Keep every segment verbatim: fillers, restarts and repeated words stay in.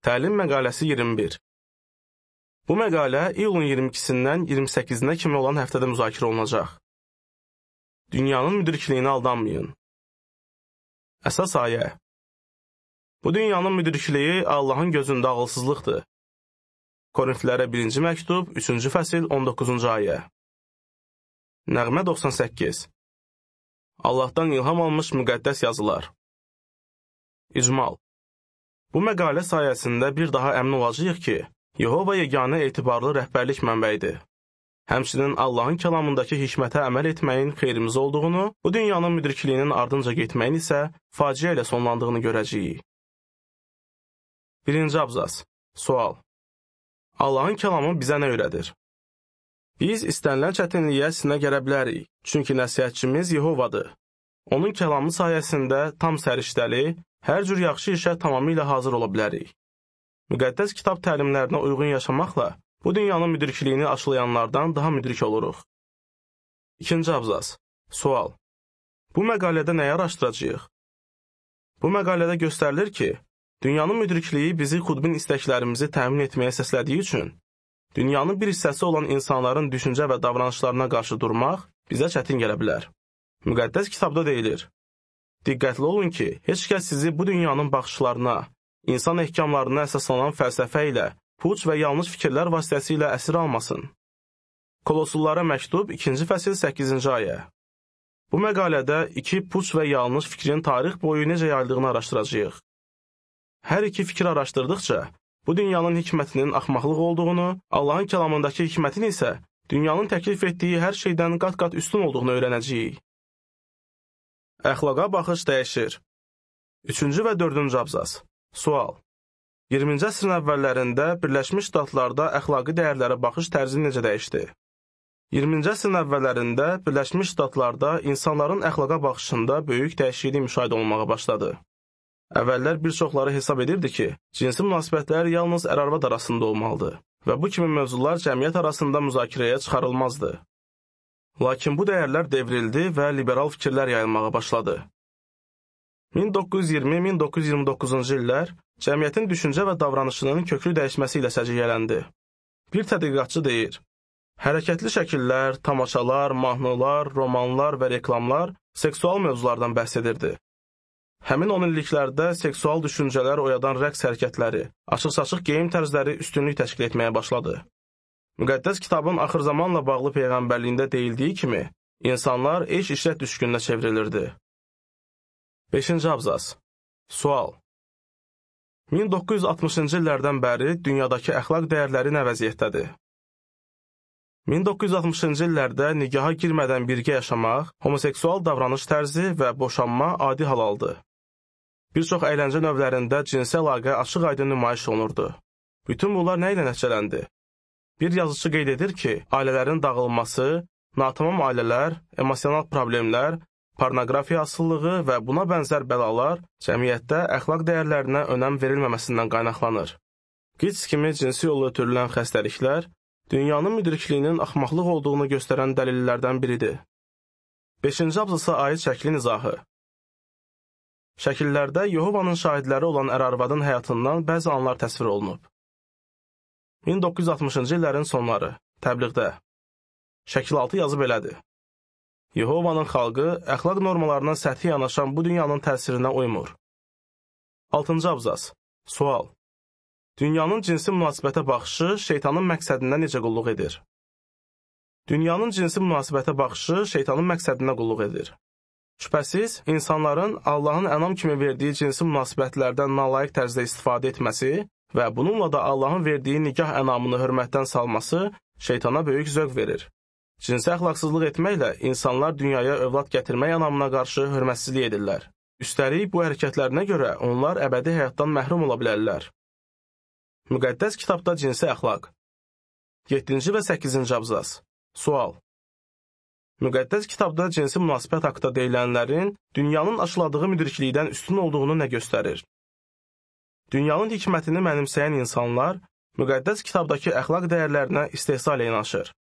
Təlim məqaləsi iyirmi bir. Bu məqalə iyulun iyirmi ikisindən iyirmi səkkizinə kimi olan həftədə müzakirə olunacaq. Dünyanın müdrikliyinə aldanmayın. Əsas ayə. Bu dünyanın müdrikliyi Allahın gözündə ağılsızlıqdır. Korinflilərə birinci məktub, üçüncü fəsil, on doqquzuncu ayə. Nəğmə doxsan səkkiz. Allahdan ilham almış müqəddəs yazılar. İcmal. Bu məqalə sayəsində bir daha əmin olacağıq ki, Yehova yeganə etibarlı rəhbərlik mənbəyidir. Həmçinin Allahın kəlamındakı hikmətə əməl etməyin xeyrimizə olduğunu, bu dünyanın müdrikliyinin ardınca getməyin isə faciə ilə sonlandığını görəcəyik. Birinci abzas. Sual. Allahın kəlamı bizə nə öyrədir? Biz istənilən çətinliyə sinə gələ bilərik, çünki nəsihətçimiz Yehovadır. Onun kəlamı sayəsində tam səriştəli, hər cür yaxşı işə tamamilə hazır ola bilərik. Müqəddəs kitab təlimlərinə uyğun yaşamaqla bu dünyanın müdrikliyini aşılayanlardan daha müdrik oluruq. İkinci abzas. Sual. Bu məqalədə nəyi araşdıracağıq? Bu məqalədə göstərilir ki, dünyanın müdrikliyi bizi xudbin istəklərimizi təmin etməyə səslədiyi üçün, dünyanın bir hissəsi olan insanların düşüncə və davranışlarına qarşı durmaq bizə çətin gələ bilər. Müqəddəs kitabda deyilir, diqqətli olun ki, heç kəs sizi bu dünyanın baxışlarına, insan ehkamlarına əsaslanan fəlsəfə ilə, puç və yanlış fikirlər vasitəsilə əsir almasın. Kolossullara məktub, ikinci fəsil, səkkizinci ayə. Bu məqalədə iki puç və yanlış fikrin tarix boyu necə yayıldığını araşdıracağıq. Hər iki fikir araşdırdıqca, bu dünyanın hikmətinin axmaqlıq olduğunu, Allahın kəlamındakı hikmətin isə dünyanın təklif etdiyi hər şeydən qat-qat üstün olduğunu öyrənəcəyik. Əxlaqa baxış dəyişir. Üçüncü və dördüncü abzas. Sual. iyirminci əsrin əvvəllərində Birləşmiş Ştatlarda əxlaqi dəyərlərə baxış tərzi necə dəyişdi? iyirminci əsrin əvvəllərində Birləşmiş Ştatlarda insanların əxlaqa baxışında böyük dəyişiklik müşahidə olunmağa başladı. Əvvəllər bir çoxları hesab edirdi ki, cinsi münasibətlər yalnız ər-arvad arasında olmalıdır və bu kimi mövzular cəmiyyət arasında müzakirəyə çıxarılmazdı. Lakin bu dəyərlər devrildi və liberal fikirlər yayılmağa başladı. min doqquz yüz iyirmi min doqquz yüz iyirmi doqquzuncu illər cəmiyyətin düşüncə və davranışının köklü dəyişməsi ilə səciyyələndi. Bir tədqiqatçı deyir, hərəkətli şəkillər, tamaşalar, mahnılar, romanlar və reklamlar seksual mövzulardan bəhs edirdi. Həmin on illiklərdə seksual düşüncələr oyadan rəqs hərəkətləri, açıq-saçıq geyim tərzləri üstünlük təşkil etməyə başladı. Müqəddəs kitabın axır zamanla bağlı peyğəmbərliyində deyildiyi kimi, insanlar eş-işrət düşkününə çevrilirdi. beşinci abzas. Sual. min doqquz yüz altmışıncı illərdən bəri dünyadakı əxlaq dəyərləri nə vəziyyətdədir? min doqquz yüz altmışıncı illərdə nigaha girmədən birgə yaşamaq, homoseksual davranış tərzi və boşanma adi hal aldı. Bir çox əyləncə növlərində cinsi əlaqə açıq-aydın nümayiş olunurdu. Bütün bunlar nə ilə nəticələndi? Bir yazıçı qeyd edir ki, ailələrin dağılması, natamam ailələr, emosional problemlər, pornografiya asılılığı və buna bənzər bəlalar cəmiyyətdə əxlaq dəyərlərinə önəm verilməməsindən qaynaqlanır. Qits kimi cinsi yolla ötürülən xəstəliklər dünyanın müdrikliyinin axmaqlıq olduğunu göstərən dəlillərdən biridir. beşinci abzasa aid şəklin izahı. Şəkillərdə Yehovanın şahidləri olan ər-arvadın həyatından bəzi anlar təsvir olunub. min doqquz yüz altmışıncı illərin sonları, təbliğdə. Şəkil altı yazı belədir. Yehovanın xalqı əxlaq normalarına səthi yanaşan bu dünyanın təsirinə uymur. altıncı abzas. Sual. Dünyanın cinsi münasibətə baxışı şeytanın məqsədinə necə qulluq edir? Dünyanın cinsi münasibətə baxışı şeytanın məqsədinə qulluq edir. Şübhəsiz, insanların Allahın ənam kimi verdiyi cinsi münasibətlərdən nalayiq tərzdə istifadə etməsi və bununla da Allahın verdiyi nikah ənamını hörmətdən salması şeytana böyük zövq verir. Cinsi əxlaqsızlıq etməklə insanlar dünyaya övlad gətirmək ənamına qarşı hörmətsizlik edirlər. Üstəlik, bu hərəkətlərinə görə onlar əbədi həyatdan məhrum ola bilərlər. Müqəddəs kitabda cinsi əxlaq. yeddinci və səkkizinci abzas. Sual. Müqəddəs kitabda cinsi münasibət haqqında deyilənlərin dünyanın aşıladığı müdriklikdən üstün olduğunu nə göstərir? Dünyanın hikmətini mənimsəyən insanlar müqəddəs kitabdakı əxlaq dəyərlərinə istehza ilə yanaşır.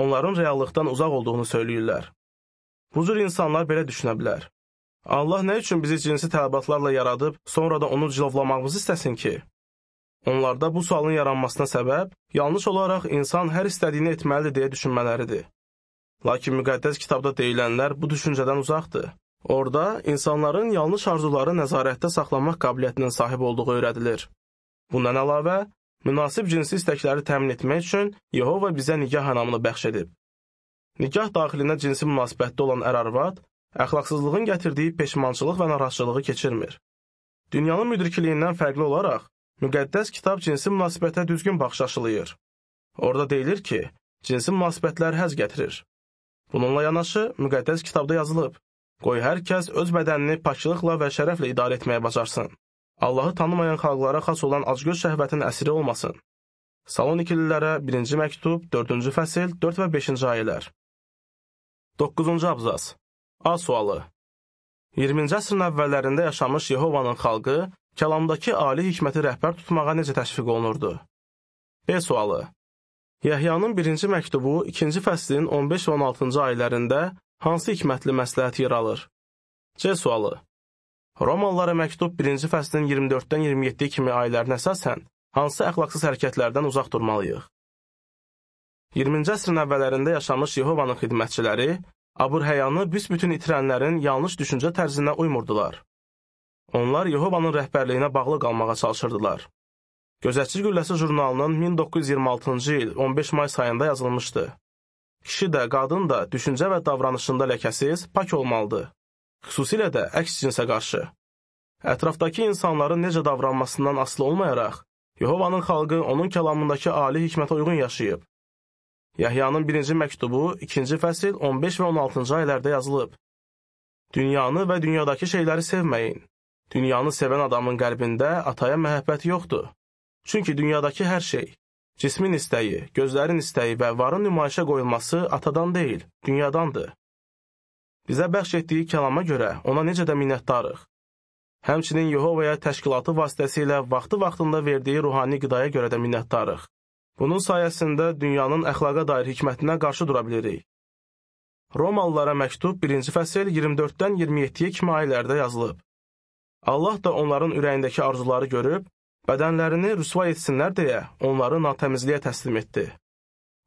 Onların reallıqdan uzaq olduğunu söyləyirlər. Bu cür insanlar belə düşünə bilər. Allah nə üçün bizi cinsi tələbatlarla yaradıb, sonra da onu cilovlamağımızı istəsin ki? Onlarda bu sualın yaranmasına səbəb yanlış olaraq insan hər istədiyini etməlidir deyə düşünmələridir. Lakin müqəddəs kitabda deyilənlər bu düşüncədən uzaqdır. Orada insanların yanlış arzuları nəzarətdə saxlamaq qabiliyyətinin sahib olduğu öyrədilir. Bundan əlavə, münasib cinsi istəkləri təmin etmək üçün Yehova bizə nikah anamını bəxş edib. Nikah daxilində cinsi münasibətdə olan ər-arvad, əxlaqsızlığın gətirdiyi peşmançılıq və narahatçılığı keçirmir. Dünyanın müdrikliyindən fərqli olaraq, müqəddəs kitab cinsi münasibətə düzgün baxış aşılayır. Orada deyilir ki, cinsi münasibətlər həzz gətirir. Bununla yanaşı, müqəddəs kitabda yazılıb, qoy hər kəs öz bədənini paklılıqla və şərəflə idarə etməyə bacarsın. Allahı tanımayan xalqlara xas olan acgöz şəhvətin əsiri olmasın. Salonikililərə birinci məktub, dördüncü fəsil, dörd və beşinci ayələr. doqquzuncu abzas. A sualı. iyirminci əsrin əvvəllərində yaşamış Yehovanın xalqı kəlamdakı ali hikməti rəhbər tutmağa necə təşviq olunurdu? B sualı. Yəhyanın birinci məktubu ikinci fəslin on beş və on altıncı ayələrində hansı hikmətli məsləhət yer alır? C sualı. Romalılara məktub birinci fəslin iyirmi dörddən iyirmi yeddiyə kimi ayələrinə əsasən hansı əxlaqsız hərəkətlərdən uzaq durmalıyıq? iyirminci əsrin əvvəllərində yaşamış Yehovanın xidmətçiləri abır-həyanı büsbütün itirənlərin yanlış düşüncə tərzinə uymurdular. Onlar Yehovanın rəhbərliyinə bağlı qalmağa çalışırdılar. Gözətçi Gülləsi jurnalının min doqquz yüz iyirmi altıncı il on beş may sayında yazılmışdı. Kişi də, qadın da düşüncə və davranışında ləkəsiz, pak olmalıdır. Xüsusilə də əks cinsə qarşı. Ətrafdakı insanların necə davranmasından asılı olmayaraq, Yehovanın xalqı onun kəlamındakı ali hikmətə uyğun yaşayıb. Yəhyanın birinci məktubu, ikinci fəsil, on beş və on altıncı ayələrdə yazılıb. Dünyanı və dünyadakı şeyləri sevməyin. Dünyanı sevən adamın qəlbində ataya məhəbbət yoxdur. Çünki dünyadakı hər şey, cismin istəyi, gözlərin istəyi və varın nümayişə qoyulması atadan deyil, dünyadandır. Bizə bəxş etdiyi kəlama görə ona necə də minnətdarıq. Həmçinin Yehovaya təşkilatı vasitəsilə vaxtı-vaxtında verdiyi ruhani qidaya görə də minnətdarıq. Bunun sayəsində dünyanın əxlaqa dair hikmətinə qarşı dura bilirik. Romalılara məktub birinci fəsil iyirmi dörddən iyirmi yeddiyə kimi ayələrdə yazılıb. Allah da onların ürəyindəki arzuları görüb, bədənlərini rüsva etsinlər deyə onları natəmizliyə təslim etdi.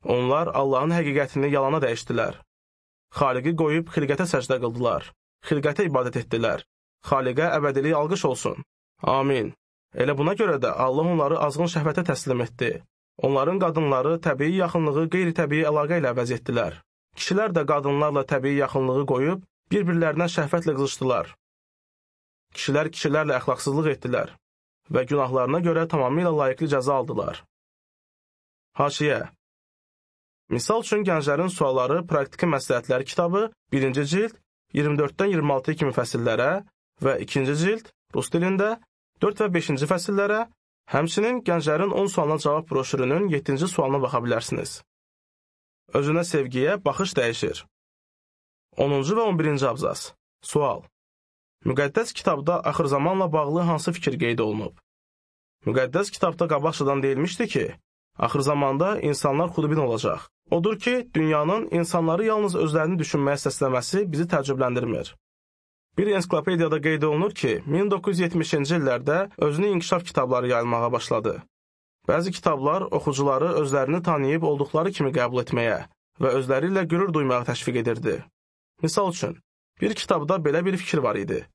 Onlar Allahın həqiqətini yalana dəyişdilər. Xaliqi qoyub xilqətə səcdə qıldılar. Xilqətə ibadət etdilər. Xaliqə əbədilik alqış olsun. Amin. Elə buna görə də Allah onları azğın şəhvətə təslim etdi. Onların qadınları təbii yaxınlığı qeyri-təbii əlaqə ilə əvəz etdilər. Kişilər də qadınlarla təbii yaxınlığı qoyub, bir-birlərinə şəhvətlə qızışdılar. Kişilər kişilərlə əxlaqsızlıq etdilər və günahlarına görə tamamilə layiqli cəza aldılar. Haşiyə. Misal üçün gənclərin sualları praktiki məsləhətləri kitabı birinci cild iyirmi dörddən iyirmi altıya kimi fəsillərə və ikinci cild rus dilində dörd və beşinci fəsillərə, həmçinin gənclərin on sualına cavab broşürünün yeddinci sualına baxa bilərsiniz. Özünə sevgiyə baxış dəyişir. onuncu və on birinci abzas. Sual. Müqəddəs kitabda axır zamanla bağlı hansı fikir qeyd olunub? Müqəddəs kitabda qabaqcadan deyilmişdi ki, axır zamanda insanlar xudbin olacaq. Odur ki, dünyanın insanları yalnız özlərini düşünməyə səsləməsi bizi təəccübləndirmir. Bir ensiklopediyada qeyd olunur ki, min doqquz yüz yetmişinci illərdə özünü inkişaf kitabları yayılmağa başladı. Bəzi kitablar oxucuları özlərini tanıyıb olduqları kimi qəbul etməyə və özləri ilə qürur duymağa təşviq edirdi. Misal üçün, bir kitabda belə bir fikir var idi.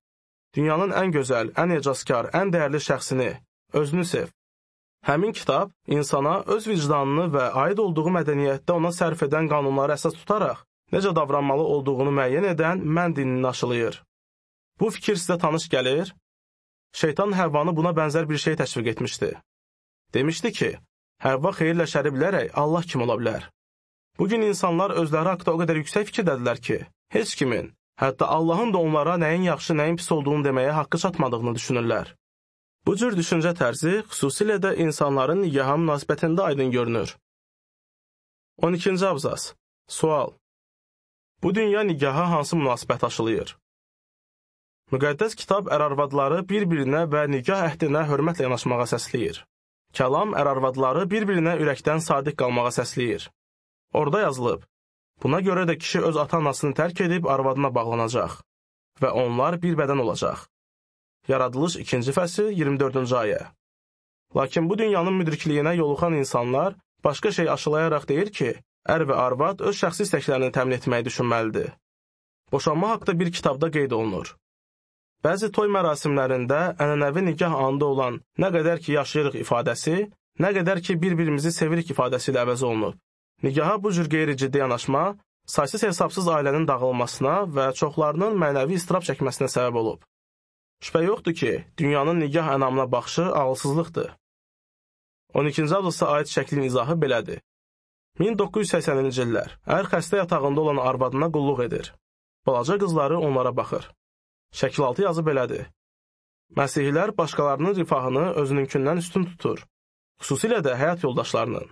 Dünyanın ən gözəl, ən ecazkar, ən dəyərli şəxsini, özünü sev. Həmin kitab insana öz vicdanını və aid olduğu mədəniyyətdə ona sərf edən qanunları əsas tutaraq, necə davranmalı olduğunu müəyyən edən mən dinini aşılayır. Bu fikir sizə tanış gəlir? Şeytan Həvvanı buna bənzər bir şey təşviq etmişdi. Demişdi ki, Həvva xeyirlə şəri bilərək Allah kim ola bilər? Bugün insanlar özləri haqda o qədər yüksək fikirdədirlər ki, heç kimin, hətta Allahın da onlara nəyin yaxşı, nəyin pis olduğunu deməyə haqqı çatmadığını düşünürlər. Bu cür düşüncə tərzi xüsusilə də insanların nigaha münasibətində aydın görünür. on ikinci abzas. Sual. Bu dünya nigaha hansı münasibət aşılayır? Müqəddəs kitab ər-arvadları bir-birinə və nigah əhdinə hörmətlə yanaşmağa səsləyir. Kəlam ər-arvadları bir-birinə ürəkdən sadiq qalmağa səsləyir. Orada yazılıb, buna görə də kişi öz ata-anasını tərk edib arvadına bağlanacaq və onlar bir bədən olacaq. Yaradılış ikinci fəsil iyirmi dördüncü ayə. Lakin bu dünyanın müdrikliyinə yoluxan insanlar başqa şey aşılayaraq deyir ki, ər və arvad öz şəxsi istəklərini təmin etməyi düşünməlidir. Boşanma haqda bir kitabda qeyd olunur. Bəzi toy mərasimlərində ənənəvi nikah anında olan nə qədər ki yaşayırıq ifadəsi, nə qədər ki bir-birimizi sevirik ifadəsi ilə əvəz olunub. Nikaha bu cür qeyri-ciddi yanaşma, saysız hesabsız ailənin dağılmasına və çoxlarının mənəvi istirab çəkməsinə səbəb olub. Şübhə yoxdur ki, dünyanın nikah ənamına baxışı ağılsızlıqdır. on ikinci abzasa aid şəklin izahı belədir. min doqquz yüz səksəninci illər, ər xəstə yatağında olan arvadına qulluq edir. Balaca qızları onlara baxır. Şəkil altı yazı belədir. Məsihilər başqalarının rifahını özününkindən üstün tutur, xüsusilə də həyat yoldaşlarının.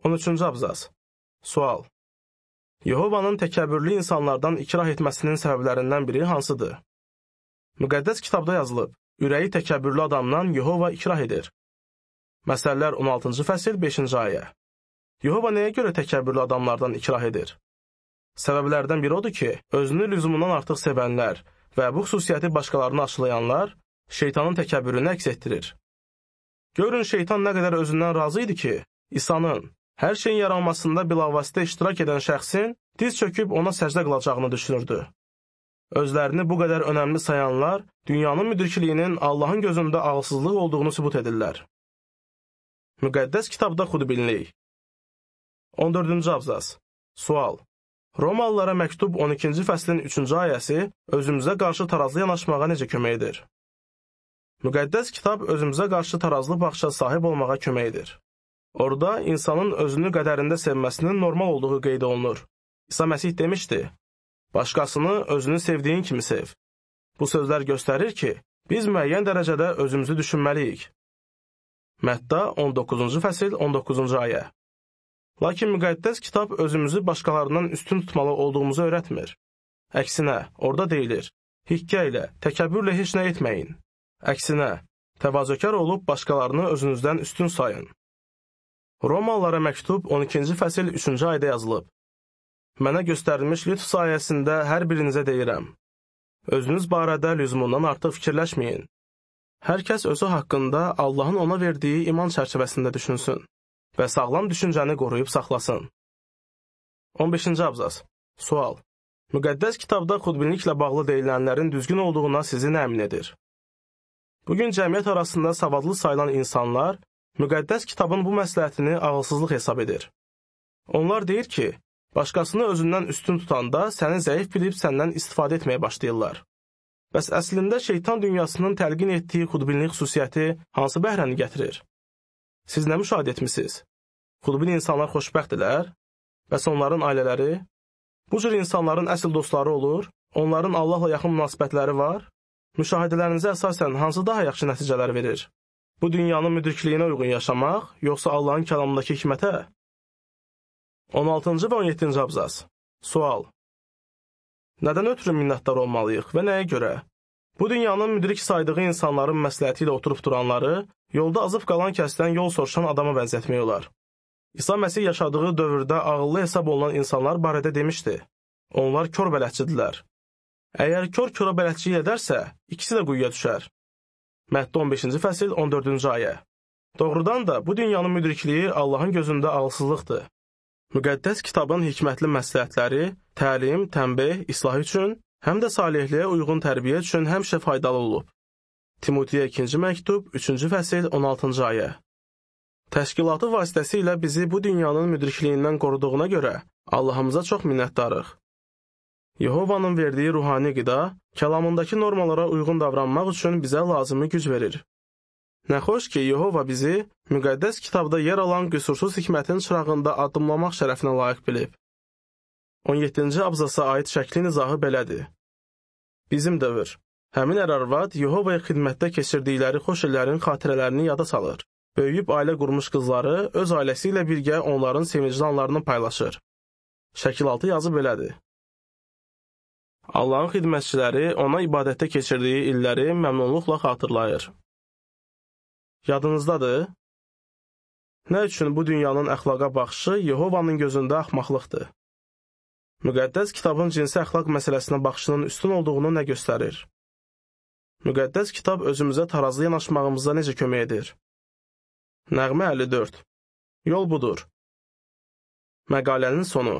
on üçüncü abzas. Sual. Yehovanın təkəbbürlü insanlardan ikrah etməsinin səbəblərindən biri hansıdır? Müqəddəs kitabda yazılıb, ürəyi təkəbbürlü adamdan Yehova ikrah edir. Məsəllər on altıncı fəsil beşinci ayə. Yehova nəyə görə təkəbbürlü adamlardan ikrah edir? Səbəblərdən biri odur ki, özünü lüzumundan artıq sevənlər və bu xüsusiyyəti başqalarına aşılayanlar şeytanın təkəbbürünü əks etdirir. Görün, şeytan nə qədər özündən razı idi ki, İsa'nın, hər şeyin yaranmasında bilavasitə iştirak edən şəxsin diz çöküb ona səcdə qılacağını düşünürdü. Özlərini bu qədər önəmli sayanlar, dünyanın müdrikliyinin Allahın gözündə ağılsızlıq olduğunu sübut edirlər. Müqəddəs kitabda xudbinlik. on dördüncü abzas. Sual. Romalılara məktub on ikinci fəslin üçüncü ayəsi özümüzə qarşı tarazlı yanaşmağa necə kömək edir? Müqəddəs kitab özümüzə qarşı tarazlı baxışa sahib olmağa kömək edir. Orada insanın özünü qədərində sevməsinin normal olduğu qeyd olunur. İsa Məsih demişdi, başqasını özünü sevdiyin kimi sev. Bu sözlər göstərir ki, biz müəyyən dərəcədə özümüzü düşünməliyik. Mətta on doqquzuncu fəsil on doqquzuncu ayə. Lakin müqəddəs kitab özümüzü başqalarından üstün tutmalı olduğumuzu öyrətmir. Əksinə, orada deyilir, hikkə ilə, təkəbbürlə heç nə etməyin. Əksinə, təvazökar olub başqalarını özünüzdən üstün sayın. Romalılara məktub on ikinci fəsil üçüncü ayədə yazılıb. Mənə göstərilmiş lütf sayəsində hər birinizə deyirəm. Özünüz barədə lüzumundan artıq fikirləşməyin. Hər kəs özü haqqında Allahın ona verdiyi iman çərçivəsində düşünsün və sağlam düşüncəni qoruyub saxlasın. on beşinci abzas. Sual. Müqəddəs kitabda xudbinliklə bağlı deyilənlərin düzgün olduğuna sizi nə əmin edir? Bugün cəmiyyət arasında savadlı sayılan insanlar müqəddəs kitabın bu məsləhətini ağılsızlıq hesab edir. Onlar deyir ki, başqasını özündən üstün tutanda səni zəif bilib səndən istifadə etməyə başlayırlar. Bəs əslində şeytan dünyasının təlqin etdiyi xudbinlik xüsusiyyəti hansı bəhrəni gətirir? Siz nə müşahidə etmisiniz? Xudbin insanlar xoşbəxtdirlər? Bəs onların ailələri? Bu cür insanların əsl dostları olur? Onların Allahla yaxın münasibətləri var? Müşahidələrinizə əsasən hansı daha yaxşı nəticələr verir? Bu dünyanın müdrikliyinə uyğun yaşamaq, yoxsa Allahın kəlamındakı hikmətə? on altıncı və on yeddinci abzas. Sual. Nədən ötürü minnətdar olmalıyıq və nəyə görə? Bu dünyanın müdrik saydığı insanların məsləhəti ilə oturub duranları, yolda azıb qalan kəsdən yol soruşan adama bənzətmək olar. İsa Məsih yaşadığı dövrdə ağıllı hesab olunan insanlar barədə demişdi. Onlar kör bələdçidirlər. Əgər kör köra bələdçilik edərsə, ikisi də quyuya düşər. Mətta on beşinci fəsil on dördüncü ayə. Doğrudan da bu dünyanın müdrikliyi Allahın gözündə ağılsızlıqdır. Müqəddəs kitabın hikmətli məsləhətləri təlim, tənbih, islah üçün, həm də salihliyə uyğun tərbiyə üçün həmişə faydalı olub. Timoteyə ikinci məktub, üçüncü fəsil, on altıncı ayə. Təşkilatı vasitəsilə bizi bu dünyanın müdrikliyindən qoruduğuna görə Allahımıza çox minnətdarıq. Yehovanın verdiyi ruhani qida, kəlamındakı normalara uyğun davranmaq üçün bizə lazımi güc verir. Nə xoş ki, Yehova bizi müqəddəs kitabda yer alan qüsursuz hikmətin çırağında addımlamaq şərəfinə layiq bilib. on yeddinci abzasa aid şəklin izahı belədir. Bizim dövr. Həmin ər-arvad Yehovaya xidmətdə keçirdikləri xoş illərin xatirələrini yada salır. Böyüyüb ailə qurmuş qızları öz ailəsi ilə birgə onların sevincli anlarını paylaşır. Şəkil altı yazı belədir. Allahın xidmətçiləri ona ibadətdə keçirdiyi illəri məmnunluqla xatırlayır. Yadınızdadır? Nə üçün bu dünyanın əxlaqa baxışı Yehovanın gözündə axmaqlıqdır? Müqəddəs kitabın cinsi əxlaq məsələsinə baxışının üstün olduğunu nə göstərir? Müqəddəs kitab özümüzə tarazlı yanaşmağımıza necə kömək edir? Nəğmə əlli dörd. Yol budur. Məqalənin sonu.